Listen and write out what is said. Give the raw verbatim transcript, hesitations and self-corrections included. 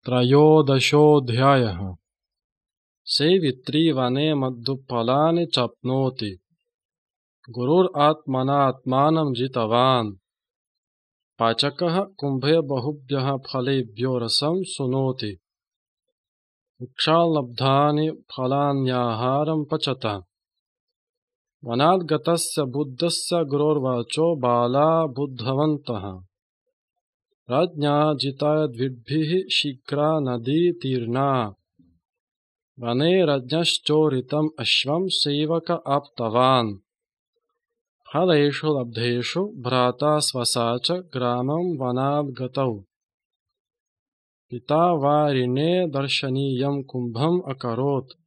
त्रयोदशोऽध्यायः। सेवित्री वने मधुफलानि चाप्नोति। गुरुरात्मनात्मानं जितवान्। पाचकः कुम्भे बहुभ्यः फलेभ्यो रसं सुनोति। वृक्षाल्लब्धानि फलान्याहारं पचता। वनाद्गतस्य बुद्धस्य गुरोर्वाचो बाला बुद्धवन्तः। राज्ञा जिता द्विभिः शीघ्रा नदी तीर्णा। वने राज्ञश्चोरितम् अश्वं सेवक आप्तवान्। फलेषु लब्धेषु भ्राता स्वसा च ग्रामं वनाद्गतौ। पिता वारिणे दर्शनीयं कुम्भम् अकरोत्।